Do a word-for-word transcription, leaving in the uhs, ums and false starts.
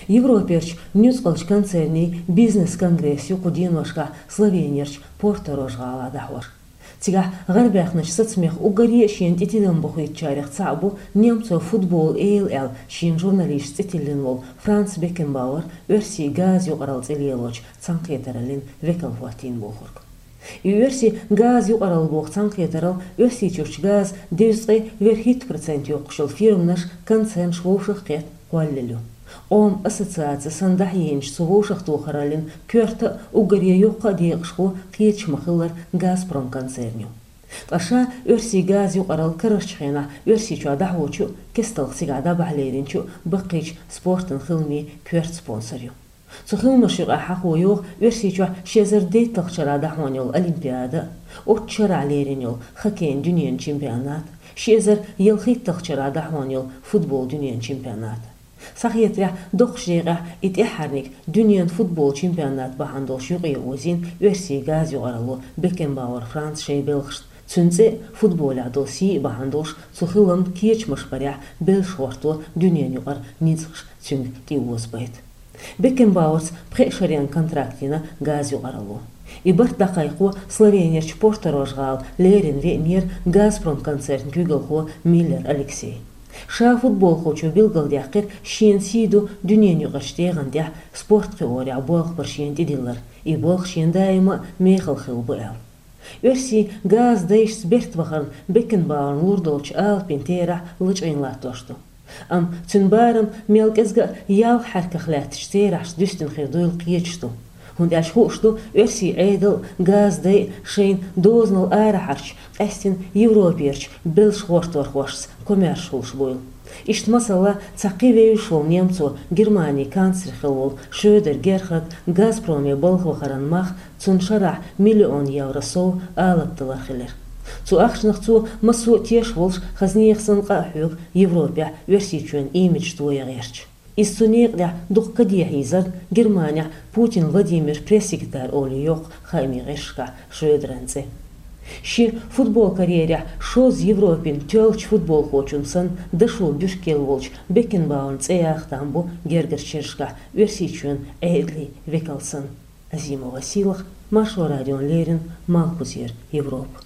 Европерчу нуьцкъалчу концернийн бизнес-конгресс ю кху деношкахь Словенерчу Порторож-гӀалахь дӀахьош. Цигахь гӀарабаьхначу сацамех уггаре а шена тӀе тидам бохуьйтучарех цхьаъ бу немцойн футболан эла аьлла шена журналисташца цӀе тиллина волу Франц Бекенбауэр, Оьрсийн газа юкъаралла цӀе лелочу цхьаьнакхетараллин векал хӀоттийна бохург. И оьрсийн газа юкъаралла боху цхьаьнакхетаралла Оьрсийчуьрчу газан дезткъе вуьрхӀитта процент йоккхуш йолу фирманаш, концернаш вовшах а кхетта кхоллаелла ю. Къоман ассоциаци санна дӀахьеъначу цу вовшахтохараллин коьрта а, уггаре йоккха а декъашхо кхеташ ма-хиллара Газпром концерн ю. Ткъа ша Оьрсийн газа юкъаралла карарчу хенахь Оьрсийчохь дӀахьочу а, кестта цигахь дӀабахьа леринчу а баккхийчу спортан хиламийн коьрта спонсор ю. Цу хиламаша юкъахь хьахо йогӀу Оьрсийчохь ши эзар дейтталгӀачу шарахь дӀахьош йолу Олимпиада, оццу шарахь лерина йолу хоккейн дуьненан чемпионат, ши эзар ялхитталгӀачу шарахь дӀахьош йолу футболан дуьненан чемпионат. Схьахетарехь, доккхачу декъехь и тӀаьххьарниг дуьненан футболан чемпионат бахьана долуш юкъаозийна Оьрсийн газа юкъаралло Бекенбауэр Франц шайн белхашна. Цуьнан цӀе а, футболехь долу сий а бахьана долуш, цу хиламан кечамаш барехь, белш гӀорто дуьненан юкъара ницкъаш цуьнга тӀеозабайта. Бекенбауэрца пхеа шарийн контракт йина газа юкъаралло. И барт дӀакхайкхо Словенерчу Порторож-гӀала лерина веанера Газпром концернан куьйгалхо Миллер Алексей. Ша футболхочо билгалдаьккхира, шена сий ду дуьненан юкъарчу тӀегӀан тӀехь спорт кхиорехь болх бар шена тӀедиллар, и болх шена даима а мехала хилла бу аьлла. Оьрсийн газа дайшца берт вахарна Бекенбауэрна лур долчу алапийн терахь лачкъийна латтош ду. Амма цуьнан барам мел кӀезга а ялх хьаьрках лаьттачу терахьашца дуьстина хир дуйла кхеташ ду. ХӀунда аьлча хууш ду, оьрсийн Ӏедал а, газа дай а шайна дозанал арахьарчу, къаьстина Европерчу белш гӀорторхошца комаьрша хуьлуш буйла. Иштта, масала, цхьа кхин вевзаш волу немцо, Германин канцлер хилла волу Шрёдер Герхард Газпроме балха вахаран мах цунна шарахь миллион евро сов алапа далар хилира. Цу ахчанах цо массо а тешаш волуш, хаза нехан санна къа а хьоьгу Европехь Оьрсийчоьнан имидж тоян гӀерташ. Иза цу некъа тӀехь дукха кадехьа йийзарна Германехь Путин Владимир пресс-секретарь олий йоккху хаамийн гӀирсашкахь Шрёдеран цӀе. Шен футбол карьерехь шозза Европин тоьллачу футболхочун санна дашо буьрккел волчу Бекенбауэрн цӀе яха там бу гергарчу шерашкахь Оьрсийчоьнан Ӏедалийн векал санна. Азимова Сийлаха, Маршо радиона леррина, Малхбузера Европа.